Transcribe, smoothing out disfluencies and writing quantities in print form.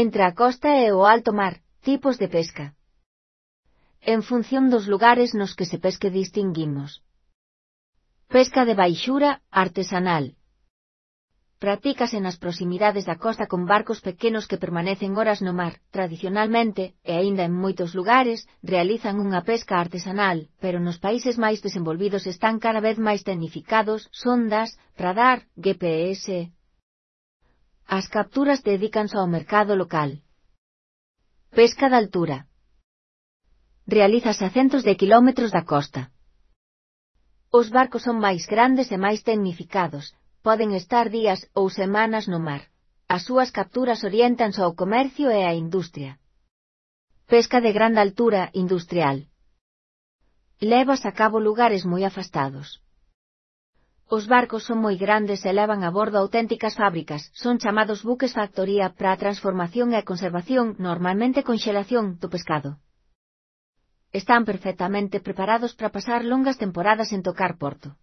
Entre a costa e o alto mar, tipos de pesca. En función dos lugares nos que se pesque distinguimos. Pesca de baixura, artesanal. Pratícase nas proximidades da costa con barcos pequenos que permanecen horas no mar. Tradicionalmente, e aínda en moitos lugares, realizan unha pesca artesanal, pero nos países máis desenvolvidos están cada vez máis tecnificados, sondas, radar, GPS. As capturas dedícanse ao mercado local. Pesca de altura. Realízase a centos de quilómetros da costa. Os barcos son máis grandes e máis tecnificados, poden estar días ou semanas no mar. As súas capturas oriéntanse ao comercio e á industria. Pesca de grande altura, industrial. Lévase a cabo lugares moi afastados. Os barcos son moi grandes e levan a bordo auténticas fábricas, son chamados buques factoría para a transformación e a conservación, normalmente conxelación, do pescado. Están perfectamente preparados para pasar longas temporadas en tocar porto.